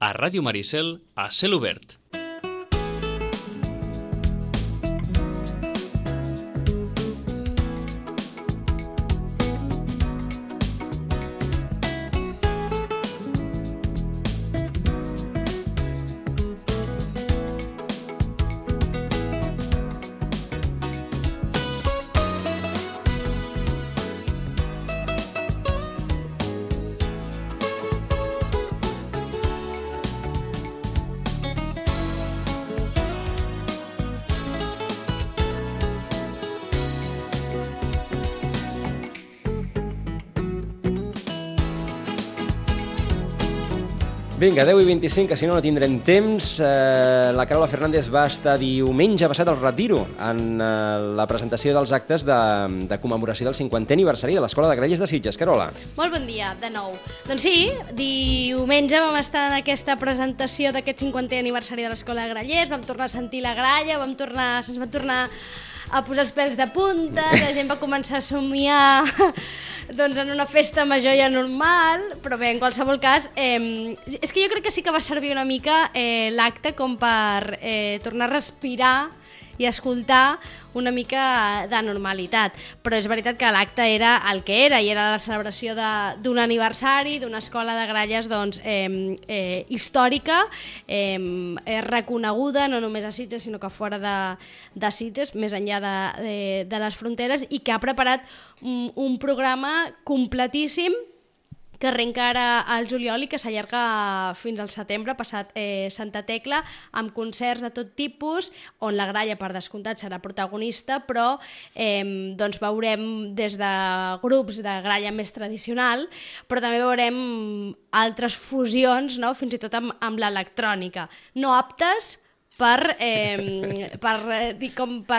A Ràdio Maricel, a cel obert. Vinga, 10:25, que si no tindrem temps. La Carola Fernández va estar diumenge passat al Retiro en la presentació dels actes de commemoració del 50è aniversari de l'Escola de Grallers de Sitges. Carola. Molt bon dia, de nou. Doncs sí, diumenge vam estar en aquesta presentació d'aquest 50è aniversari de l'Escola de Grallers, vam tornar a sentir la gralla, se'ns van tornar a posar els pèls de punta, la gent va començar a somiar doncs, en una festa major ja normal, però bé, en qualsevol cas, és que jo crec que sí que va servir una mica l'acte com per tornar a respirar i escoltar una mica de normalitat. Però és veritat que l'acte era el que era, i era la celebració d'un aniversari d'una escola de gralles doncs, històrica, reconeguda no només a Sitges, sinó que fora de Sitges, més enllà de les fronteres, i que ha preparat un programa completíssim que arrenca ara al juliol i que s'allarga fins al setembre, passat Santa Tecla, amb concerts de tot tipus, on la gralla, per descomptat, serà protagonista, però doncs veurem des de grups de gralla més tradicional, però també veurem altres fusions, no? Fins i tot amb l'electrònica, no aptes per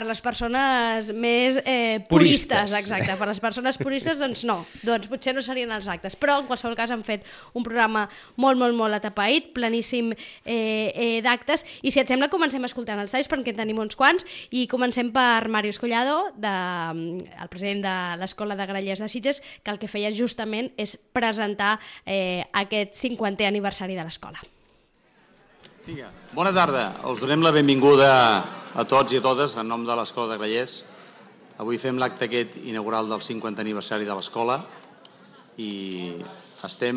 les persones més puristes. Exacte, per les persones puristes, doncs no, doncs potser no serien els actes, però en qualsevol cas han fet un programa molt, molt, molt atapeït, planíssim d'actes, i si et sembla comencem escoltant els talls, perquè en tenim uns quants, i comencem per Màrius Collado, el president de l'Escola de Grallers de Sitges, que el que feia justament és presentar aquest 50è aniversari de l'escola. Bona tarda, us donem la benvinguda a tots i a totes en nom de l'Escola de Grallers. Avui fem l'acte aquest inaugural del 50è aniversari de l'escola i estem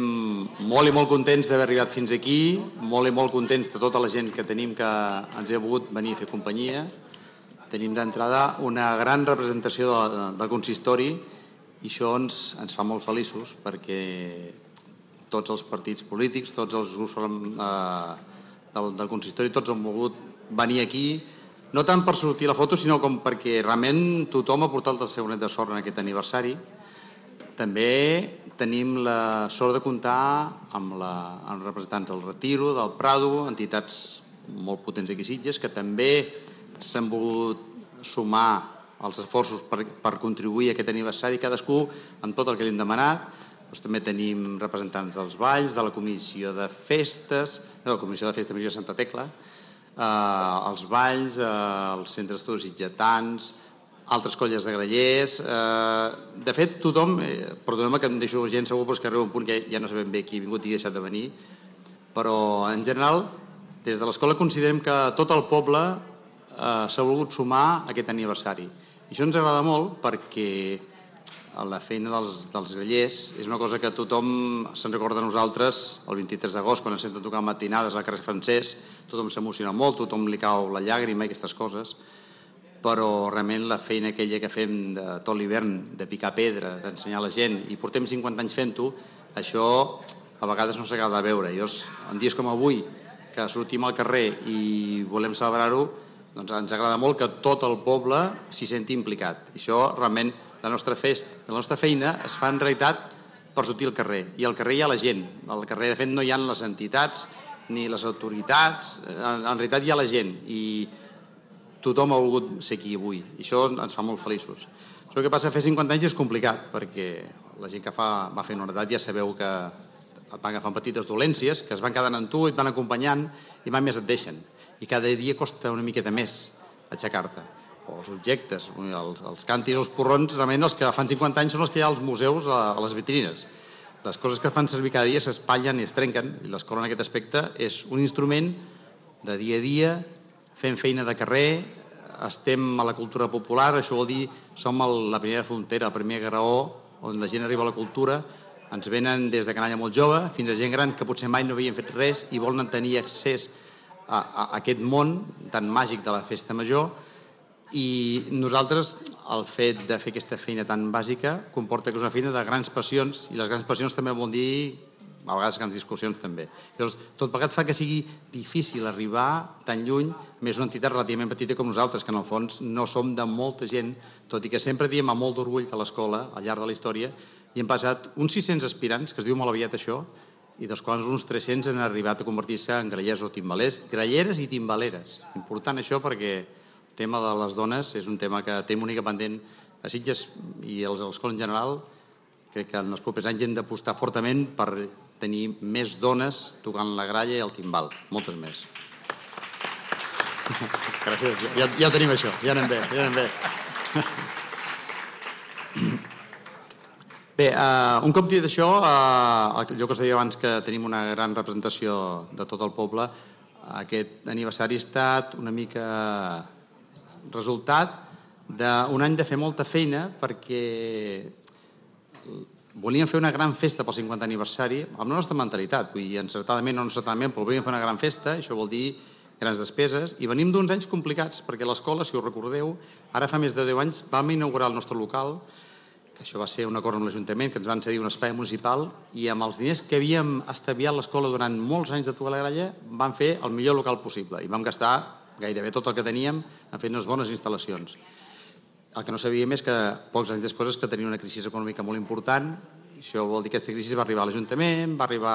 molt i molt contents d'haver arribat fins aquí, molt i molt contents de tota la gent que tenim que ens ha volgut venir a fer companyia. Tenim d'entrada una gran representació del consistori i això ens fa molt feliços perquè tots els partits polítics, tots els grups del consistori, tots han volgut venir aquí, no tant per sortir la foto, sinó com perquè realment tothom ha portat el seu net de sort en aquest aniversari. També tenim la sort de comptar amb representants del Retiro, del Prado, entitats molt potents aquí a Sitges, que també s'han volgut sumar als esforços per contribuir a aquest aniversari, cadascú amb tot el que li hem demanat. També tenim representants dels balls, de la Comissió de Festes, de la Comissió de Festes Major de Santa Tecla, els balls, els centres d'estudis sitgetans, altres colles de grallers. De fet, tothom, perdoneu-me que em deixo gent segur, però és que arriba un punt que ja no sabem bé qui ha vingut i ha deixat de venir, però en general, des de l'escola considerem que tot el poble s'ha volgut sumar a aquest aniversari. I això ens agrada molt perquè la feina dels grallers és una cosa que tothom se'n recorda a nosaltres el 23 d'agost, quan ens senten tocar matinades al carrer Francès, tothom s'emociona molt, tothom li cau la llàgrima i aquestes coses, però realment la feina aquella que fem de tot l'hivern, de picar pedra, d'ensenyar a la gent, i portem 50 anys fent-ho, això a vegades no s'acaba de veure. I en dies com avui, que sortim al carrer i volem celebrar-ho, doncs ens agrada molt que tot el poble s'hi senti implicat. I això realment la nostra feina es fa en realitat per sortir al carrer, i al carrer hi ha la gent. Al carrer, de fet, no hi ha les entitats ni les autoritats, en realitat hi ha la gent, i tothom ha volgut ser aquí avui, i això ens fa molt feliços. Això que passa, fer 50 anys és complicat, perquè la gent que va fent una edat ja sabeu que et van agafant petites dolències, que es van quedant amb tu i et van acompanyant, i mai més et deixen. I cada dia costa una miqueta més aixecar-te. O els objectes, els càntirs, els porrons, realment els que fan 50 anys són els que hi ha als museus, a les vitrines. les coses que fan servir cada dia s'espatllen i es trenquen, i l'escola en aquest aspecte és un instrument de dia a dia, fem feina de carrer, estem a la cultura popular, això vol dir som la primera frontera, el primer graó on la gent arriba a la cultura, ens venen des de canalla molt jove fins a gent gran que potser mai no havien fet res i volen tenir accés a aquest món tan màgic de la festa major, i nosaltres el fet de fer aquesta feina tan bàsica comporta que és una feina de grans passions, i les grans passions també vol dir a vegades grans discussions també. Llavors, tot plegat fa que sigui difícil arribar tan lluny, més una entitat relativament petita com nosaltres, que en el fons no som de molta gent, tot i que sempre diem amb molt d'orgull que a l'escola, al llarg de la història, hi hem passat uns 600 aspirants, que es diu molt aviat això, i dels quals uns 300 han arribat a convertir-se en grallers o timbalers, gralleres i timbaleres. Important això perquè el tema de les dones és un tema que té una mica pendent a Sitges i a l'escola en general. Crec que en els propers anys hem d'apostar fortament per tenir més dones tocant la gralla i el timbal, moltes més. Gràcies, ja ho tenim això, ja anem bé. Bé, un cop dit això, allò que us deia abans que tenim una gran representació de tot el poble, aquest aniversari ha estat una mica resultat d'un any de fer molta feina perquè volíem fer una gran festa pel 50 aniversari amb la nostra mentalitat, vull dir, encertadament o no encertadament, però volíem fer una gran festa, això vol dir grans despeses, i venim d'uns anys complicats, perquè l'escola, si us recordeu, ara fa més de 10 anys vam inaugurar el nostre local, que això va ser un acord amb l'Ajuntament, que ens van cedir un espai municipal, i amb els diners que havíem estaviat l'escola durant molts anys de tocar la gralla, vam fer el millor local possible, i vam gastar gairebé tot el que teníem en fer unes bones instal·lacions. El que no sabíem és que pocs anys després és que tenia una crisi econòmica molt important, i això vol dir que aquesta crisi va arribar a l'Ajuntament, va arribar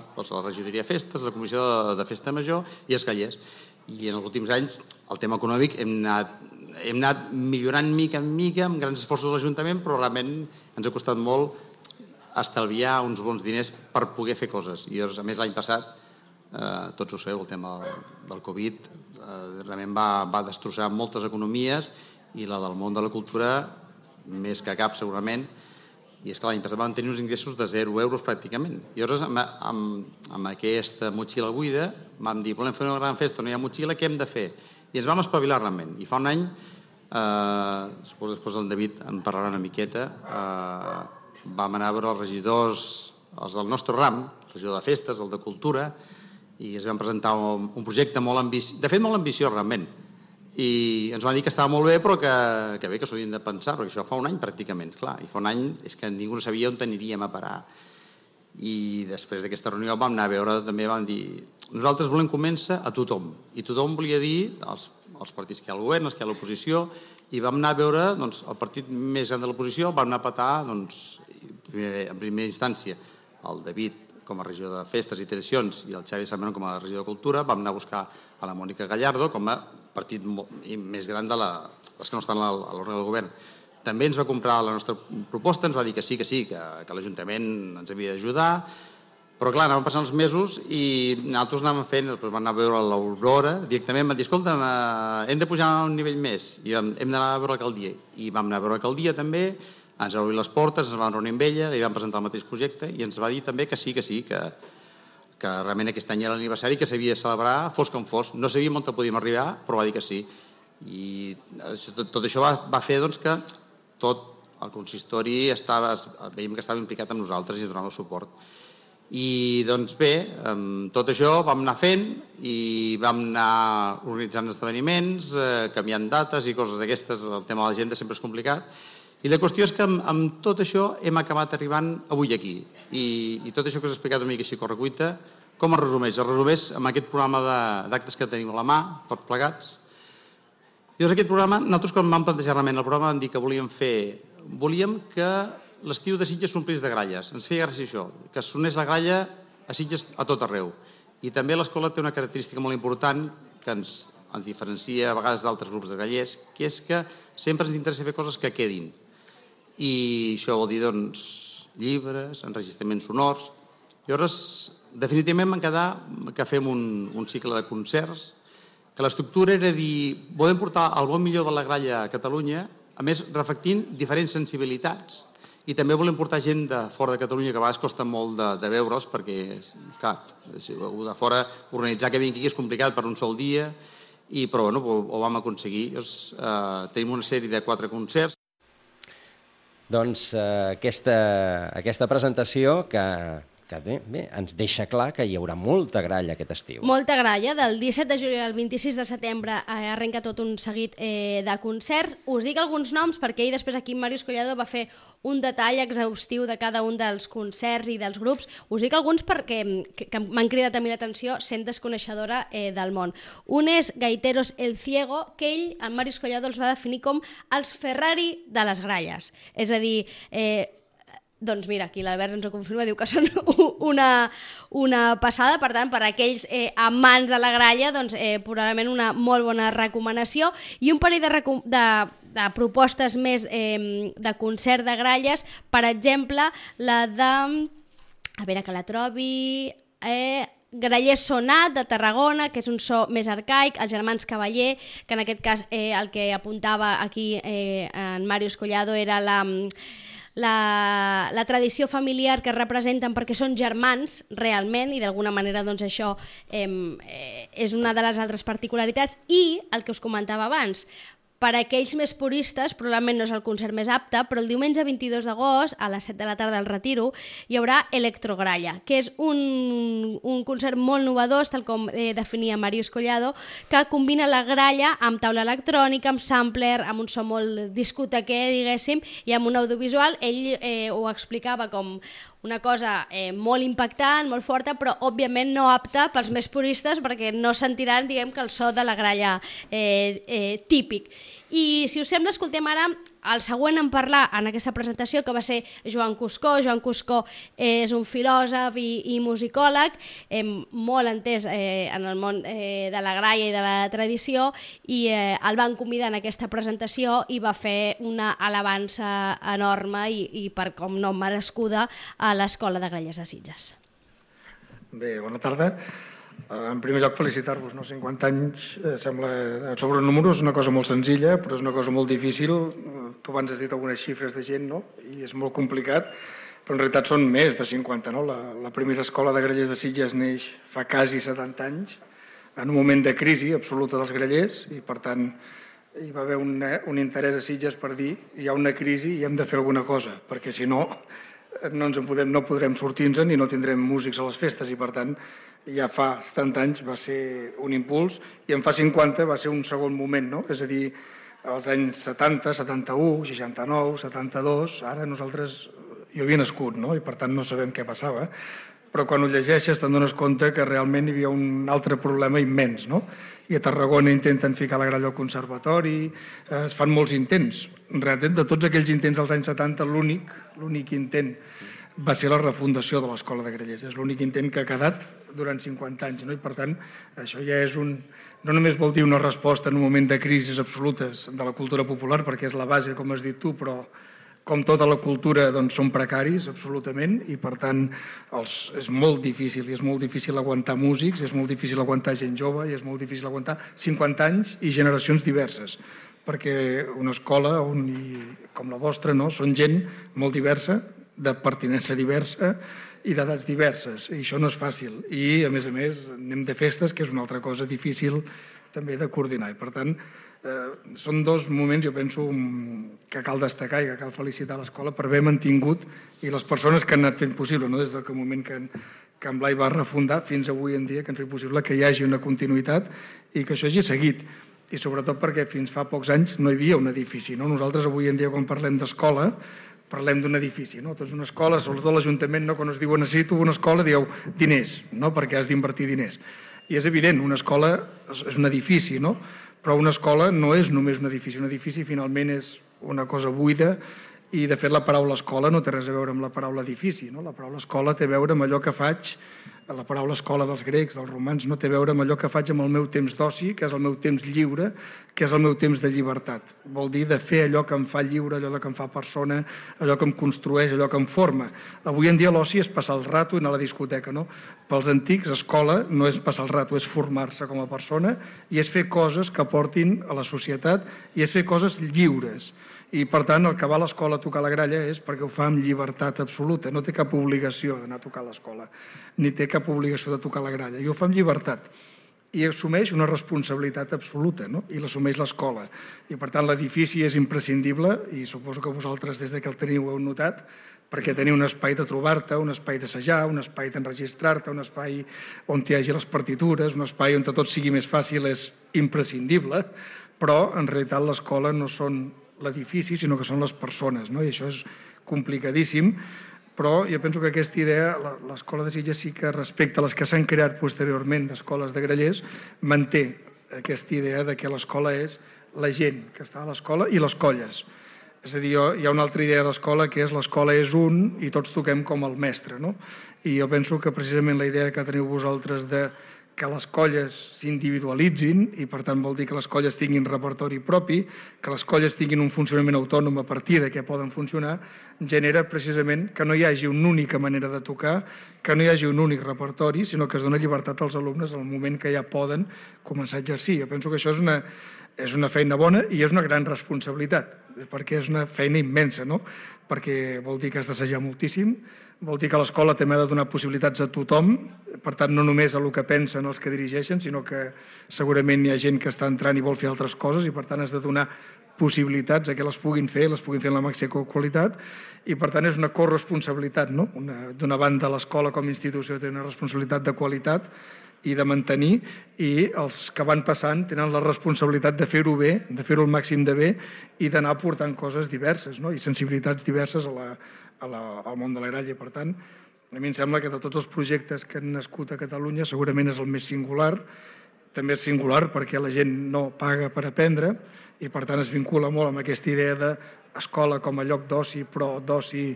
a la regidoria de festes, a la comissió de festa major i als grallers. I en els últims anys el tema econòmic hem anat millorant mica en mica amb grans esforços de l'Ajuntament, però realment ens ha costat molt estalviar uns bons diners per poder fer coses. I a més l'any passat, tots ho sabeu, el tema del Covid realment va destrossar moltes economies, i la del món de la cultura més que cap segurament, i és que l'any passat vam tenir uns ingressos de 0 euros pràcticament. I llavors amb aquesta motxilla buida vam dir, volem fer una gran festa, no hi ha motxilla, què hem de fer? I ens vam espavilar realment. I fa un any, suposo després el David en parlarà una miqueta, vam anar a veure els regidors, els del nostre ram, el regidor de festes, el de cultura, i ens vam presentar un projecte molt ambiciós, de fet molt ambiciós realment, i ens van dir que estava molt bé, però que bé, que s'ho havien de pensar, perquè això fa un any pràcticament, clar, i fa un any és que ningú no sabia on aniríem a parar. I després d'aquesta reunió vam anar a veure, també vam dir, nosaltres volem convèncer a tothom, i tothom volia dir els partits que hi ha al govern, els que hi ha a l'oposició, i vam anar a veure el partit més gran de l'oposició, vam anar a petar en primera instància el David com a regidor de festes i tradicions i el Xavi Samanon com a regidor de cultura, vam anar a buscar a la Mònica Gallardo com a partit més gran de les que no estan a l'òrgan del govern. També ens va comprar la nostra proposta, ens va dir que sí, que l'Ajuntament ens havia d'ajudar, però clar, anaven passant els mesos i nosaltres anàvem fent, després vam anar a veure l'Aurora, directament vam dir, escolta, hem de pujar a un nivell més i hem d'anar a veure l'alcaldia. I vam anar a veure l'alcaldia també, ens va obrir les portes, ens vam reunir amb ella, li vam presentar el mateix projecte i ens va dir també que sí, que realment aquest any era l'aniversari, que s'havia de celebrar fos com fos. No sabíem on podíem arribar, però va dir que sí. I tot això va fer que tot el consistori veiem que estava implicat amb nosaltres i ens donava suport. I doncs bé, tot això vam anar fent i vam anar organitzant esdeveniments, canviant dates i coses d'aquestes. El tema de l'agenda sempre és complicat. I la qüestió és que amb tot això hem acabat arribant avui aquí. I tot això que us he explicat una mica així a correcuita, com es resumeix? Es resumeix amb aquest programa d'actes que tenim a la mà, tots plegats. I doncs aquest programa, nosaltres quan vam plantejar realment el programa vam dir que volíem que l'estiu de Sitges s'omplís de gralles. Ens feia gràcia això, que sonés la gralla a Sitges a tot arreu. I també l'escola té una característica molt important que ens diferencia a vegades d'altres grups de grallers, que és que sempre ens interessa fer coses que quedin. I això vol dir, llibres, enregistraments sonors. Llavors, definitivament vam quedar que fem un cicle de concerts, que l'estructura era dir, volem portar el bon millor de la gralla a Catalunya, a més reflectint diferents sensibilitats, i també volem portar gent de fora de Catalunya, que a vegades costa molt de veure'ls, perquè, clar, de fora organitzar que vingui aquí és complicat per un sol dia, però ho vam aconseguir. Tenim una sèrie de 4 concerts. Doncs aquesta presentació que bé, ens deixa clar que hi haurà molta gralla aquest estiu. Molta gralla. Del 17 de juliol al 26 de setembre arrenca tot un seguit de concerts. Us dic alguns noms perquè ell després aquí Màrius Collado va fer un detall exhaustiu de cada un dels concerts i dels grups. Us dic alguns perquè m'han cridat a mi l'atenció sent desconeixedora del món. Un és Gaiteros El Ciego, que ell, en Màrius Collado, els va definir com els Ferrari de les gralles. És a dir, doncs mira, aquí l'Albert ens ho confirma, diu que són una passada, per tant, per aquells amants de la gralla, doncs probablement una molt bona recomanació. I un parell de propostes més de concert de gralles, per exemple, la de, a veure que la trobi, Graller Sonat de Tarragona, que és un so més arcaic, els germans Cavaller, que en aquest cas el que apuntava aquí en Màrius Collado era la tradició familiar que representen perquè són germans realment i d'alguna manera doncs això és una de les altres particularitats. I el que us comentava abans, per a aquells més puristes, probablement no és el concert més apte, però el diumenge 22 d'agost, a les 7 de la tarda al Retiro, hi haurà Electrogralla, que és un concert molt novedós, tal com definia Màrius Collado, que combina la gralla amb taula electrònica, amb sampler, amb un so molt discotequer, diguéssim, i amb un audiovisual. Ell ho explicava com una cosa molt impactant, molt forta, però òbviament no apta pels més puristes perquè no sentiran, diguem, que el so de la gralla típic. I si us sembla, escoltem ara el següent en parlar en aquesta presentació, que va ser Joan Cuscó. Joan Cuscó és un filòsof i musicòleg, molt entès en el món de la gralla i de la tradició, i el van convidar en aquesta presentació i va fer una alabança enorme i per com no merescuda a l'Escola de Grallers de Sitges. Bé, bona tarda. En primer lloc, felicitar-vos. 50 anys sembla, sobre números, una cosa molt senzilla, però és una cosa molt difícil. Tu abans has dit algunes xifres de gent, no? I és molt complicat, però en realitat són més de 50. No? La primera escola de grallers de Sitges neix fa quasi 70 anys, en un moment de crisi absoluta dels grallers, i per tant hi va haver un interès a Sitges per dir hi ha una crisi i hem de fer alguna cosa, perquè si no no podrem sortir-nos i no tindrem músics a les festes, i per tant ja fa 70 anys va ser un impuls i en fa 50 va ser un segon moment, no? És a dir, als anys 70, 71, 69, 72, ara nosaltres, jo havia nascut, no? I per tant no sabem què passava, però quan ho llegeixes te'n dones compte que realment hi havia un altre problema immens, no? I a Tarragona intenten ficar la gralla al conservatori, es fan molts intents. En realitat, de tots aquells intents als anys 70, l'únic intent va ser la refundació de l'Escola de Grallers. És l'únic intent que ha quedat durant 50 anys, no? I per tant, això ja és no només vol dir una resposta en un moment de crisis absolutes de la cultura popular, perquè és la base, com has dit tu, però com tota la cultura doncs, són precaris absolutament, i per tant és molt difícil, i és molt difícil aguantar músics, és molt difícil aguantar gent jove, i és molt difícil aguantar 50 anys i generacions diverses, perquè una escola com la vostra, no? Són gent molt diversa, de pertinença diversa i d'edats diverses, i això no és fàcil. I a més anem de festes, que és una altra cosa difícil també de coordinar, i per tant són dos moments, jo penso, que cal destacar i que cal felicitar l'escola per haver mantingut, i les persones que han anat fent possible, no? Des del moment que en Blai va refundar fins avui en dia, que han fet possible que hi hagi una continuïtat i que això hagi seguit, i sobretot perquè fins fa pocs anys no hi havia un edifici, no? Nosaltres avui en dia, quan parlem d'escola, parlem d'un edifici, no? Doncs una escola, sobretot l'Ajuntament, no? Quan es diu necessito una escola, dieu diners, no? Perquè has d'invertir diners. I és evident, una escola és un edifici, no? Però una escola no és només un edifici finalment és una cosa buida, i de fet la paraula escola no té res a veure amb la paraula edifici, no? La paraula escola té a veure amb allò que faig, la paraula escola dels grecs, dels romans, no té a veure amb allò que faig amb el meu temps d'oci, que és el meu temps lliure, que és el meu temps de llibertat. Vol dir de fer allò que em fa lliure, allò que em fa persona, allò que em construeix, allò que em forma. Avui en dia l'oci és passar el rato i anar a la discoteca, no? Pels antics, escola no és passar el rato, és formar-se com a persona i és fer coses que aportin a la societat i és fer coses lliures. I, per tant, el que va a l'escola a tocar la gralla és perquè ho fa amb llibertat absoluta. No té cap obligació d'anar a tocar a l'escola, ni té cap obligació de tocar la gralla. I ho fa amb llibertat. I assumeix una responsabilitat absoluta, no? I l'assumeix l'escola. I, per tant, l'edifici és imprescindible, i suposo que vosaltres, des que el teniu, ho heu notat, perquè teniu un espai de trobar-te, un espai d'assajar, un espai d'enregistrar-te, un espai on hi hagi les partitures, un espai on tot sigui més fàcil és imprescindible, però, en realitat, l'escola no són l'edifici, sinó que són les persones, no? I això és complicadíssim, però jo penso que aquesta idea, l'escola de Sitges sí que respecte a les que s'han creat posteriorment d'escoles de grallers, manté aquesta idea de que l'escola és la gent que està a l'escola i les colles. És a dir, hi ha una altra idea d'escola que és l'escola és un i tots toquem com el mestre, no? I jo penso que precisament la idea que teniu vosaltres de que les colles s'individualitzin i, per tant, vol dir que les colles tinguin repertori propi, que les colles tinguin un funcionament autònom a partir de què poden funcionar, genera precisament que no hi hagi una única manera de tocar, que no hi hagi un únic repertori, sinó que es dona llibertat als alumnes al moment que ja poden començar a exercir. Jo penso que això és una feina bona i és una gran responsabilitat, perquè és una feina immensa, no? Perquè vol dir que has d'assajar moltíssim, vol dir que l'escola també ha de donar possibilitats a tothom, per tant, no només a el que pensen els que dirigeixen, sinó que segurament hi ha gent que està entrant i vol fer altres coses i, per tant, has de donar possibilitats a que les puguin fer en la màxima qualitat i, per tant, és una corresponsabilitat, no? D'una banda, l'escola com a institució té una responsabilitat de qualitat i de mantenir, i els que van passant tenen la responsabilitat de fer-ho bé, de fer-ho el màxim de bé i d'anar aportant coses diverses, no? I sensibilitats diverses al món de la gralla. Per tant, a mi em sembla que de tots els projectes que han nascut a Catalunya segurament és el més singular. També és singular perquè la gent no paga per aprendre i, per tant, es vincula molt amb aquesta idea d'escola com a lloc d'oci, però d'oci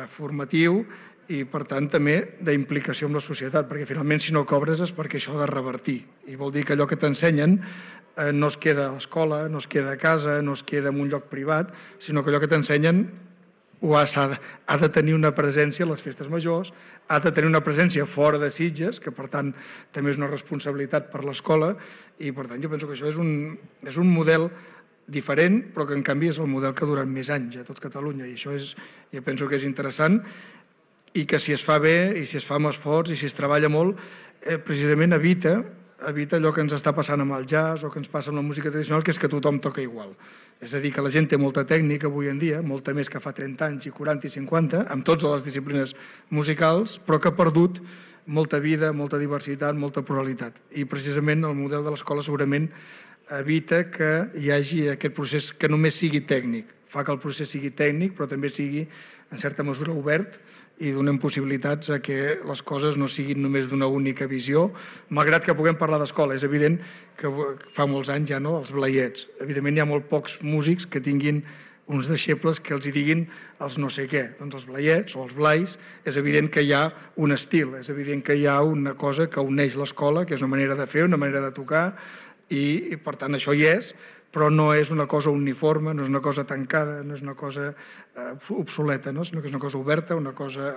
formatiu, i, per tant, també d'implicació amb la societat, perquè finalment si no cobres és perquè això ha de revertir. I vol dir que allò que t'ensenyen no es queda a l'escola, no es queda a casa, no es queda en un lloc privat, sinó que allò que t'ensenyen ha de tenir una presència a les festes majors, ha de tenir una presència fora de Sitges, que per tant també és una responsabilitat per l'escola, i per tant jo penso que això és un model diferent, però que en canvi és el model que ha durat més anys a tot Catalunya, i això jo penso que és interessant, i que si es fa bé i si es fa amb esforç i si es treballa molt, precisament evita allò que ens està passant amb el jazz o que ens passa amb la música tradicional, que és que tothom toca igual. És a dir, que la gent té molta tècnica avui en dia, molta més que fa 30 anys i 40 i 50, amb totes les disciplines musicals, però que ha perdut molta vida, molta diversitat, molta pluralitat. I precisament el model de l'escola segurament evita que hi hagi aquest procés que només sigui tècnic. Fa que el procés sigui tècnic, però també sigui, en certa mesura, obert, i donem possibilitats a que les coses no siguin només d'una única visió, malgrat que puguem parlar d'escola. És evident que fa molts anys ja no, els blaiets. Evidentment hi ha molt pocs músics que tinguin uns deixebles que els hi diguin els no sé què. Doncs els blaiets o els blais, és evident que hi ha un estil, és evident que hi ha una cosa que uneix l'escola, que és una manera de fer, una manera de tocar, i per tant això hi és, però no és una cosa uniforme, no és una cosa tancada, no és una cosa obsoleta, no? Sinó que és una cosa oberta, una cosa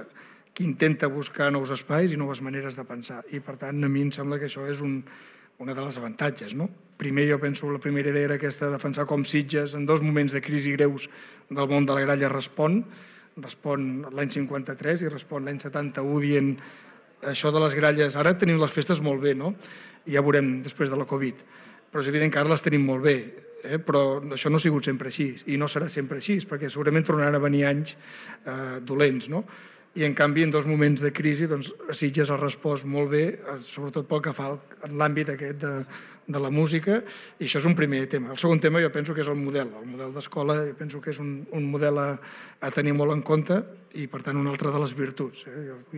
que intenta buscar nous espais i noves maneres de pensar. I, per tant, a mi em sembla que això és una de les avantatges, no? Primer, jo penso, la primera idea era aquesta, defensar com Sitges, en dos moments de crisi greus del món de la gralla, respon l'any 53 i respon l'any 71 dient això de les gralles. Ara tenim les festes molt bé, no? I ja veurem després de la Covid. Però és evident que ara les tenim molt bé, però això no ha sigut sempre així i no serà sempre així, perquè segurament tornaran a venir anys dolents, no? I en canvi en dos moments de crisi doncs, Sitges ha respost molt bé, sobretot pel que fa en l'àmbit aquest de la música, i això és un primer tema. El segon tema jo penso que és el model d'escola, jo penso que és un model a tenir molt en compte i per tant una altra de les virtuts.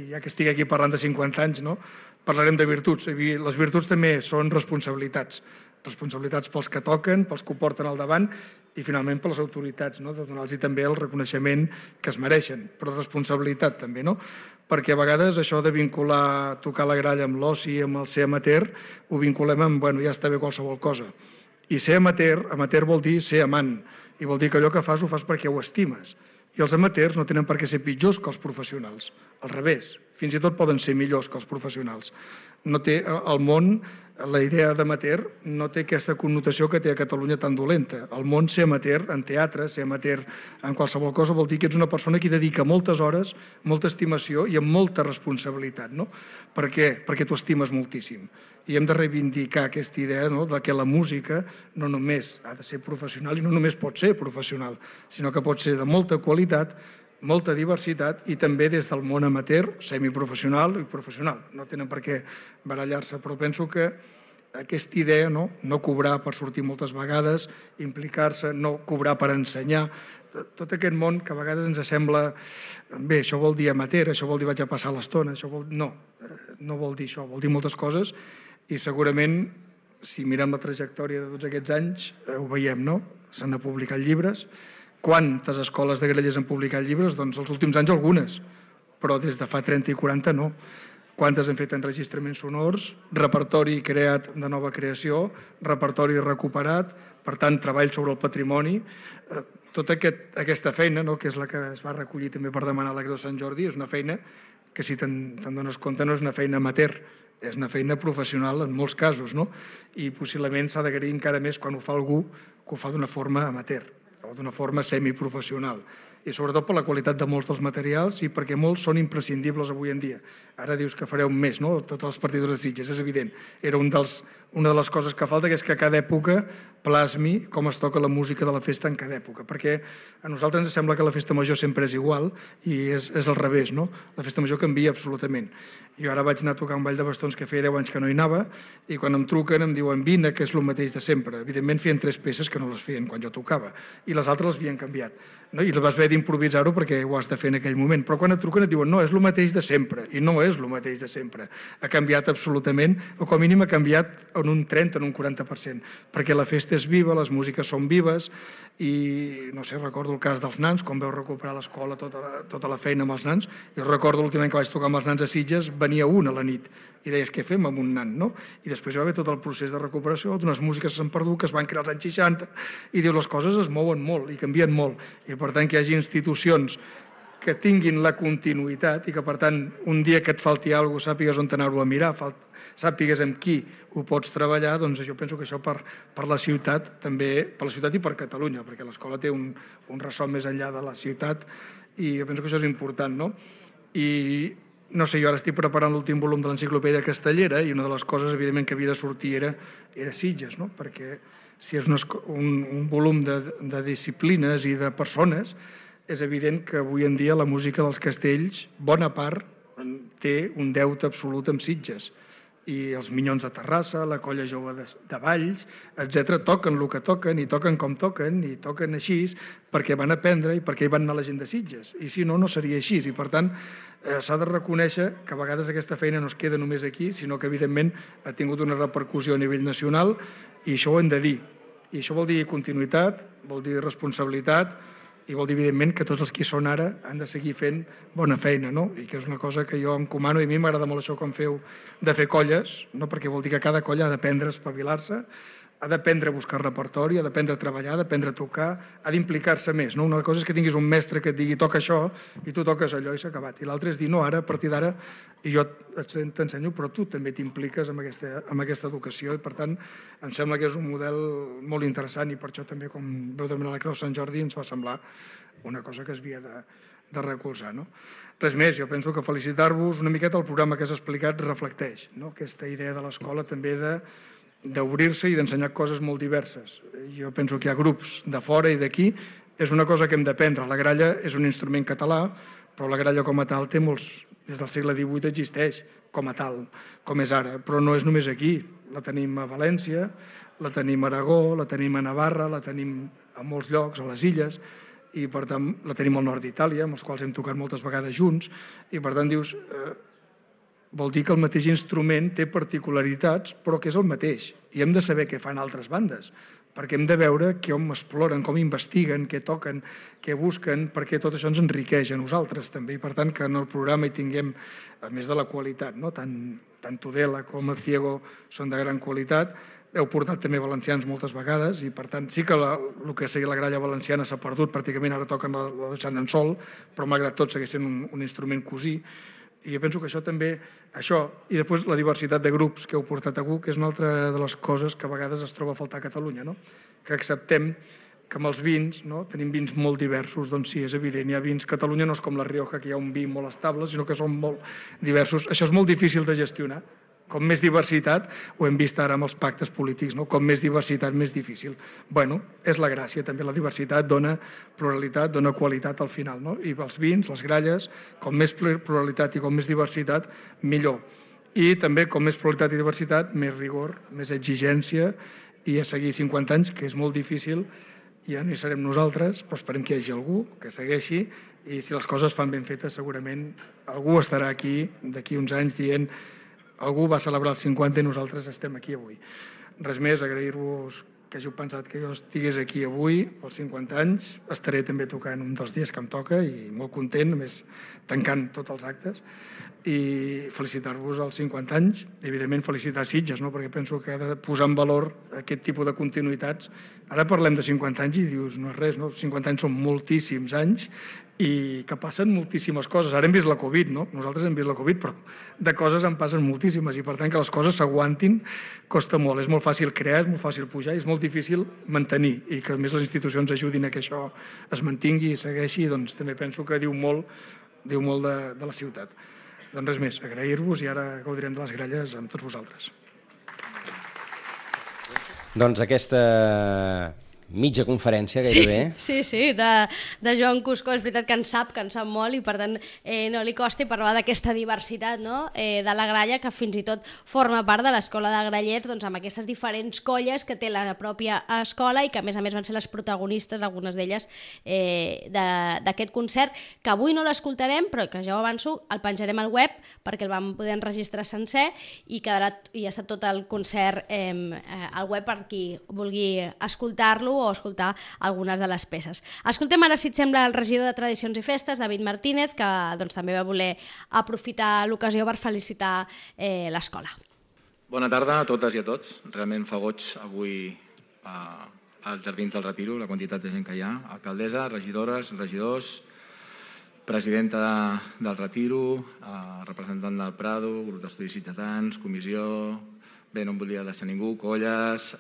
Ja que estic aquí parlant de 50 anys, no? Parlarem de virtuts. Les virtuts també són responsabilitats pels que toquen, pels que ho porten al davant i finalment per les autoritats, no? De donar-los també el reconeixement que es mereixen, però responsabilitat també, no? Perquè a vegades això de vincular tocar la gralla amb l'oci, amb el ser amateur, ho vinculem amb, bueno, ja està bé qualsevol cosa. I ser amateur vol dir ser amant, i vol dir que allò que fas ho fas perquè ho estimes. I els amateurs no tenen per què ser pitjors que els professionals, al revés, fins i tot poden ser millors que els professionals. El món la idea d'amateur no té aquesta connotació que té a Catalunya tan dolenta. Al món, ser amateur en teatre, ser amateur en qualsevol cosa, vol dir que ets una persona que dedica moltes hores, molta estimació i amb molta responsabilitat. No? Per què? Perquè t'ho estimes moltíssim. I hem de reivindicar aquesta idea de que la música no només ha de ser professional i no només pot ser professional, sinó que pot ser de molta qualitat, molta diversitat i també des del món amateur, semiprofessional i professional. No tenen per què barallar-se, però penso que aquesta idea, no cobrar per sortir moltes vegades, implicar-se, no cobrar per ensenyar, tot aquest món que a vegades ens sembla, bé, això vol dir amateur, això vol dir vaig a passar l'estona, no vol dir això, vol dir moltes coses i segurament, si mirem la trajectòria de tots aquests anys, ho veiem, no? S'han publicat llibres. Quantes escoles de Grallers han publicat llibres? Doncs els últims anys algunes, però des de fa 30 i 40 no. Quantes han fet enregistraments sonors, repertori creat de nova creació, repertori recuperat, per tant, treball sobre el patrimoni. Tota aquesta feina, que és la que es va recollir també per demanar la Creu de Sant Jordi, és una feina que, si te'n dones compte, no és una feina amateur, és una feina professional en molts casos, i possiblement s'ha d'agrair encara més quan ho fa algú que ho fa d'una forma amateur o d'una forma semiprofessional. I sobretot per la qualitat de molts dels materials i perquè molts són imprescindibles avui en dia. Ara dius que fareu més, tots els partidors de Sitges, és evident. Era una de les coses que falta, que és que a cada època plasmi com es toca la música de la festa en cada època, perquè a nosaltres ens sembla que la festa major sempre és igual i és al revés, la festa major canvia absolutament. Jo ara vaig anar a tocar un ball de bastons que feia 10 anys que no hi anava i quan em truquen em diuen vine, que és el mateix de sempre. Evidentment feien 3 peces que no les feien quan jo tocava i les altres les havien canviat. I vas haver d'improvisar-ho perquè ho has de fer en aquell moment, però quan et truquen et diuen no, és el mateix de sempre, i no és el mateix de sempre. Ha canviat absolutament, o com a mínim ha canviat en un 30, en un 40%, perquè la festa és viva, les músiques són vives, i no sé, recordo el cas dels nans, quan vau recuperar l'escola, tota la feina amb els nans. Jo recordo l'últim any que vaig tocar amb els nans a Sitges, venia un a la nit, i deies què fem amb un nan, no? I després hi va haver tot el procés de recuperació d'unes músiques que s'han perdut, que es van crear als anys 60, i dius, les coses es mouen molt i canvien molt, i per tant que hi hagi institucions que tinguin la continuïtat i que, per tant, un dia que et falti alguna cosa, sàpigues on anar-ho a mirar, sàpigues amb qui ho pots treballar, doncs jo penso que això per la ciutat, també per la ciutat i per Catalunya, perquè l'escola té un ressò més enllà de la ciutat i jo penso que això és important, no? I no sé, jo ara estic preparant l'últim volum de l'enciclopèdia castellera i una de les coses, evidentment, que havia de sortir era Sitges, no? Perquè si és un volum de disciplines i de persones, és evident que avui en dia la música dels castells, bona part, té un deute absolut amb Sitges. I els Minyons de Terrassa, la Colla Jove de Valls, etc., toquen el que toquen i toquen com toquen i toquen així perquè van aprendre i perquè hi van anar la gent de Sitges. I si no, no seria així. I per tant, s'ha de reconèixer que a vegades aquesta feina no es queda només aquí, sinó que evidentment ha tingut una repercussió a nivell nacional i això ho hem de dir. I això vol dir continuïtat, vol dir responsabilitat i vol dir, evidentment, que tots els que hi són ara han de seguir fent bona feina, no? I que és una cosa que jo encomano i a mi m'agrada molt això quan feu de fer colles, no? Perquè vol dir que cada colla ha d'aprendre a espavilar-se, ha d'aprendre a buscar repertori, ha d'aprendre a treballar, ha d'aprendre a tocar, ha d'implicar-se més, no? Una cosa és que tinguis un mestre que et digui toca això i tu toques allò i s'ha acabat. I l'altre és dir, no, ara, a partir d'ara, i jo t'ensenyo, però tu també t'impliques amb aquesta educació i, per tant, em sembla que és un model molt interessant i per això també, com veu demanar la Creu de Sant Jordi, ens va semblar una cosa que es havia de recolzar, no? Res més, jo penso que felicitar-vos una miqueta el programa que has explicat reflecteix, no? Aquesta idea de l'escola també d'obrir-se i d'ensenyar coses molt diverses. Jo penso que hi ha grups de fora i d'aquí, és una cosa que hem d'aprendre. La gralla és un instrument català, però la gralla com a tal té molts... Des del segle XVIII existeix com a tal, com és ara, però no és només aquí. La tenim a València, la tenim a Aragó, la tenim a Navarra, la tenim a molts llocs, a les illes, i per tant la tenim al nord d'Itàlia, amb els quals hem tocat moltes vegades junts, i per tant dius... Vol dir que el mateix instrument té particularitats, però que és el mateix. I hem de saber què fan altres bandes, perquè hem de veure com exploren, com investiguen, què toquen, què busquen, perquè tot això ens enriqueix a nosaltres també. I per tant, que en el programa hi tinguem, a més de la qualitat, no? Tant Tudela com el Ciego són de gran qualitat. Heu portat també valencians moltes vegades i, per tant, sí que el que sigui la gralla valenciana s'ha perdut, pràcticament ara toquen la deixant en sol, però malgrat tot segueix sent un instrument cosí. I jo penso que això també, i després la diversitat de grups que heu portat a que és una altra de les coses que a vegades es troba a faltar a Catalunya, no? Que acceptem que amb els vins, tenim vins molt diversos, doncs sí, és evident, hi ha vins, Catalunya no és com la Rioja, que hi ha un vi molt estable, sinó que són molt diversos. Això és molt difícil de gestionar. Com més diversitat, ho hem vist ara amb els pactes polítics, com més diversitat, més difícil. Bueno, és la gràcia, també la diversitat dona pluralitat, dona qualitat al final, i els vins, les gralles, com més pluralitat i com més diversitat, millor. I també, com més pluralitat i diversitat, més rigor, més exigència, i a seguir 50 anys, que és molt difícil. Ja no hi serem nosaltres, però esperem que hi hagi algú que segueixi, i si les coses fan ben fetes segurament algú estarà aquí d'aquí uns anys dient algú va celebrar els 50 i nosaltres estem aquí avui. Res més, agrair-vos que hàgiu pensat que jo estigués aquí avui pels 50 anys. Estaré també tocant un dels dies que em toca i molt content, a més tancant tots els actes, i felicitar-vos als 50 anys. Evidentment felicitar Sitges, perquè penso que ha de posar en valor aquest tipus de continuïtats. Ara parlem de 50 anys i dius, no és res, 50 anys són moltíssims anys i que passen moltíssimes coses. Ara hem vist la Covid, nosaltres hem vist la Covid, però de coses en passen moltíssimes i per tant que les coses s'aguantin costa molt. És molt fàcil crear, és molt fàcil pujar i és molt difícil mantenir, i que a més les institucions ajudin a que això es mantingui i segueixi, doncs també penso que diu molt de la ciutat. Doncs res més, agrair-vos i ara gaudirem de les gralles amb tots vosaltres. Doncs aquesta mitja conferència gairebé. Sí, de Joan Cuscó, és veritat que en sap molt i per tant no li costa, i parlar d'aquesta diversitat de la gralla, que fins i tot forma part de l'escola de grallers, doncs amb aquestes diferents colles que té la pròpia escola i que a més van ser les protagonistes, algunes d'elles, d'aquest concert, que avui no l'escoltarem, però que ja ho avanço, el penjarem al web perquè el vam poder enregistrar sencer i ha estat tot el concert al web per qui vulgui escoltar-lo o escoltar algunes de les peces. Escoltem ara, si et sembla, el regidor de Tradicions i Festes, David Martínez, que també va voler aprofitar l'ocasió per felicitar l'escola. Bona tarda a totes i a tots. Realment fa goig avui als Jardins del Retiro, la quantitat de gent que hi ha. Alcaldessa, regidores, regidors, presidenta del Retiro, representant del Prado, grup d'estudis sitgetans, comissió, bé, no em volia deixar ningú, colles,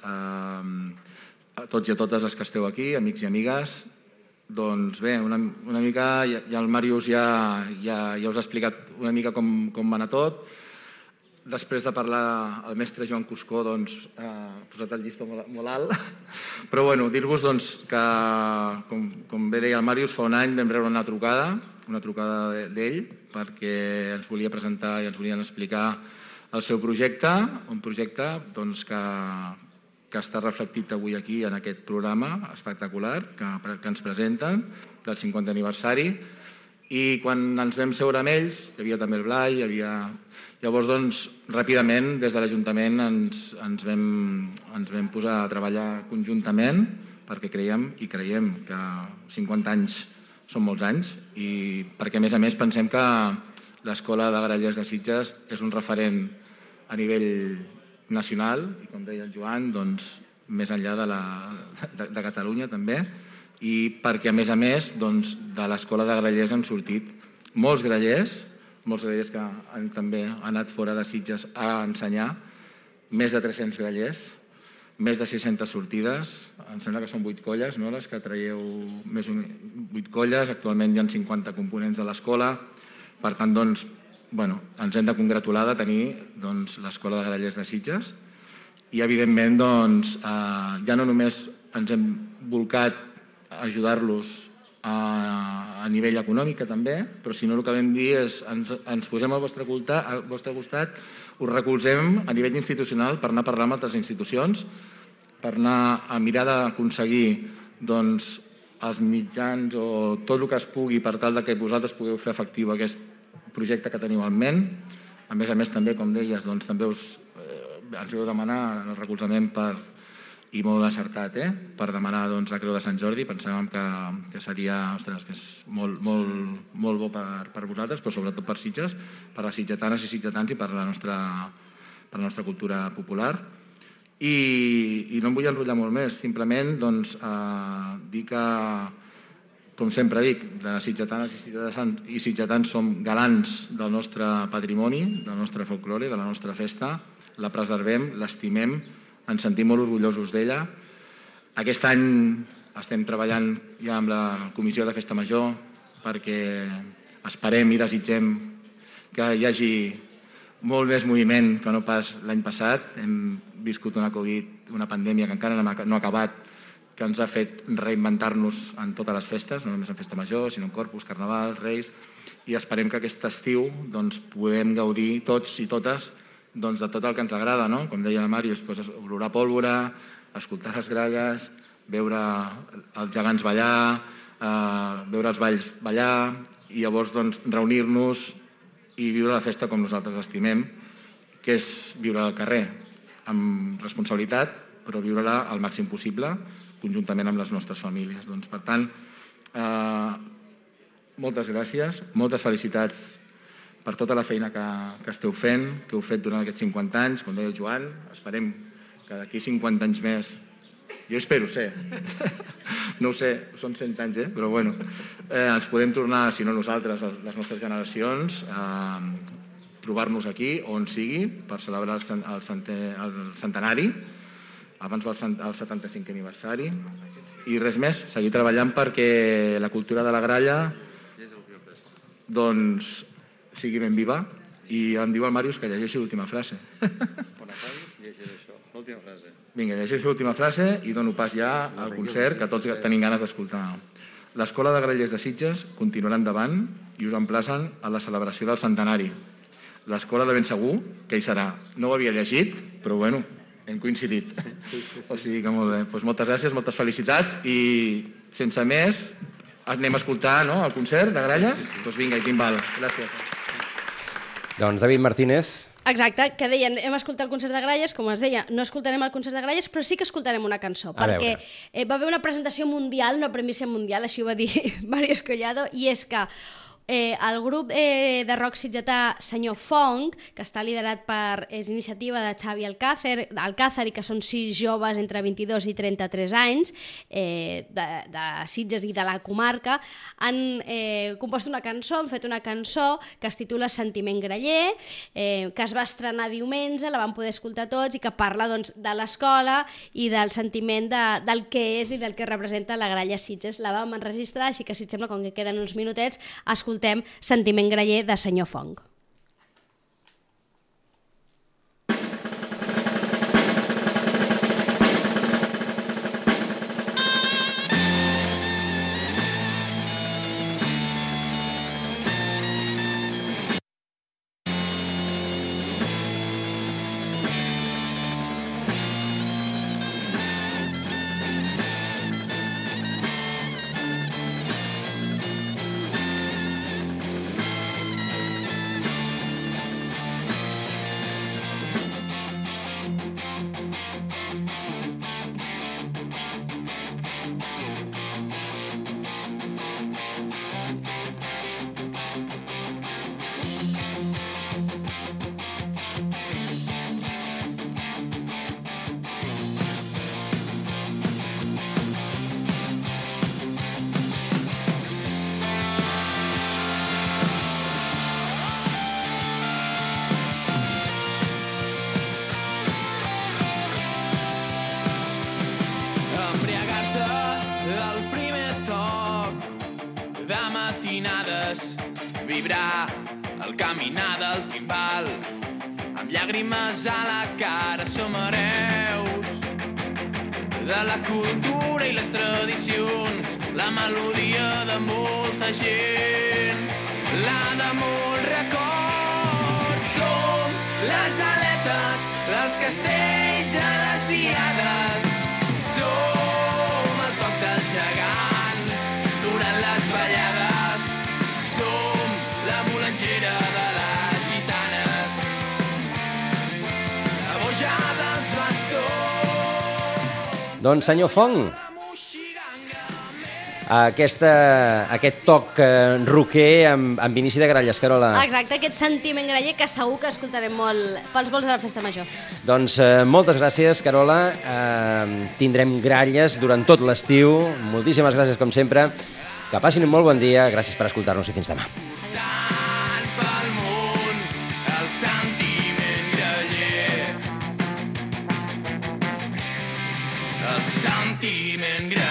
a tots i a totes les que esteu aquí, amics i amigues. Doncs bé, una mica, ja el Màrius ja us ha explicat una mica com va anar tot. Després de parlar el mestre Joan Cuscó, doncs ha posat el llistó molt alt. Però bueno, dir-vos que, com bé deia el Màrius, fa un any vam rebre una trucada d'ell, perquè ens volia presentar i ens volien explicar el seu projecte, un projecte que està reflectit avui aquí en aquest programa espectacular que ens presenten del 50 aniversari. I quan ens vam seure amb ells, hi havia també el Blai, llavors doncs ràpidament des de l'Ajuntament ens vam posar a treballar conjuntament perquè creiem que 50 anys són molts anys i perquè a més pensem que l'Escola de Grallers de Sitges és un referent a nivell nacional i, com deia el Joan, doncs, més enllà de Catalunya també, i perquè a més doncs, de l'Escola de Grallers han sortit molts grallers que també han anat fora de Sitges a ensenyar, més de 300 grallers, més de 600 sortides, em sembla que són 8 colles, les que traieu, més o menys 8 colles, actualment hi ha 50 components de l'escola, per tant, doncs, ens hem de congratular de tenir l'Escola de Grallers de Sitges i, evidentment, ja no només ens hem volcat a ajudar-los a nivell econòmic també, però si no el que vam dir és ens posem al vostre costat, us recolzem a nivell institucional per anar a parlar amb altres institucions, per anar a mirar d'aconseguir els mitjans o tot el que es pugui per tal que vosaltres pugueu fer efectiu aquest projecte que teniu en ment. A més també, com deies, també ens heu demanat el recolzament i molt encertat, per demanar la Creu de Sant Jordi. Pensàvem que seria que és molt bo per vosaltres, però sobretot per Sitges, per les sitgetanes i sitgetans i per la nostra cultura popular. I no em vull enrotllar molt més, simplement dir que com sempre dic, les sitgetanes i sitgetans som galants del nostre patrimoni, del nostre folklore, de la nostra festa, la preservem, l'estimem, ens sentim molt orgullosos d'ella. Aquest any estem treballant ja amb la Comissió de Festa Major perquè esperem i desitgem que hi hagi molt més moviment que no pas l'any passat. Hem viscut una Covid, una pandèmia que encara no ha acabat, que ens ha fet reinventar-nos en totes les festes, no només en Festa Major, sinó en Corpus, Carnaval, Reis, i esperem que aquest estiu puguem gaudir tots i totes de tot el que ens agrada, no? Com deia la Màrius, olorar pólvora, escoltar les gralles, veure els gegants ballar, veure els balls ballar, i llavors reunir-nos i viure la festa com nosaltres l'estimem, que és viure al carrer, amb responsabilitat, però viure-la al màxim possible, conjuntament amb les nostres famílies. Per tant, moltes gràcies, moltes felicitats per tota la feina que esteu fent, que heu fet durant aquests 50 anys, com deia Joan, esperem que d'aquí 50 anys més, jo espero ser, no ho sé, són 100 anys, però bueno, ens podem tornar, si no nosaltres, les nostres generacions, trobar-nos aquí, on sigui, per celebrar el centenari, abans del 75è aniversari, i res més, seguir treballant perquè la cultura de la gralla sigui ben viva, i em diu el Màrius que llegeixi l'última frase. Vinga, llegeixo l'última frase i dono pas ja al concert que tots tenim ganes d'escoltar. L'Escola de Grallers de Sitges continuarà endavant i us emplacen a la celebració del centenari. L'escola de ben segur que hi serà. No ho havia llegit, però bueno, hem coincidit. O sigui que molt bé. Moltes gràcies, moltes felicitats i sense més anem a escoltar el concert de gralles? Doncs vinga, i timbal. Gràcies. Doncs David Martínez. Exacte, que deien, hem escoltat el concert de gralles, com es deia, no escoltarem el concert de gralles, però sí que escoltarem una cançó, perquè va haver una presentació mundial, una premissa mundial, així ho va dir Màrius Collado, i és que el grup de rock sitgetà Senyor Fong, que està liderat és iniciativa de Xavi Alcázar i que són 6 joves entre 22 i 33 anys de Sitges i de la comarca, han compost una cançó, han fet una cançó que es titula Sentiment Graller, que es va estrenar diumenge, la vam poder escoltar tots i que parla de l'escola i del sentiment del que és i del que representa la gralla Sitges. La vam enregistrar, així que si et sembla, com que queden uns minutets, escoltem Sentiment Graller de Senyor Fong. Vibrar al caminar del timbal, amb llàgrimes a la cara som hereus de la cultura i les tradicions, la melodia de molta gent, la de molt record. Som les aletes dels castells a les diades, som el toc dels gegants durant les ballades, som la bolangera de les gitanes, la boja dels bastons. Doncs senyor Fong, aquest toc roquer amb inici de gralles, Carola. Exacte, aquest sentiment graller que segur que escoltarem molt pels vols de la Festa Major. Doncs moltes gràcies, Carola. Tindrem gralles durant tot l'estiu. Moltíssimes gràcies, com sempre. Que passin un molt bon dia, gràcies per escoltar-nos i fins demà. Tant pel món, el sentiment graller. El sentiment graller.